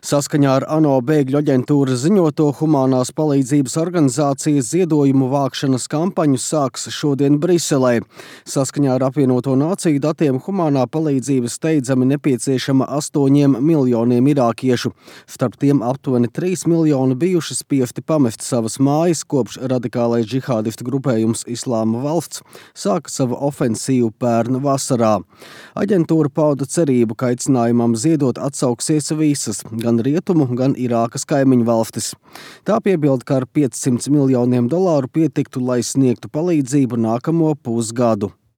Saskaņā ar ANO bēgļu aģentūras ziņoto, humanās palīdzības organizācijas ziedojumu vākšanas kampaņu sāks šodien Briselē. Saskaņā ar apvienoto nāciju datiem humanā palīdzība steidzami nepieciešama 8 miljoniem irākiešu. Starp tiem aptuveni 3 miljoni bijuši spiesti pamest savas mājas, kopš radikālais džihādistu grupējums Islāma valsts sāka savu ofensīvu pērn vasarā. Aģentūra pauda cerību, ka aicinājumam ziedot atsauksies visas, gan Rietumu, gan Irākas kaimiņu valstis. Tā piebilda, ka ar $500 miljoniem piektiktu, lai sniegtu palīdzību nākamo pusgadu.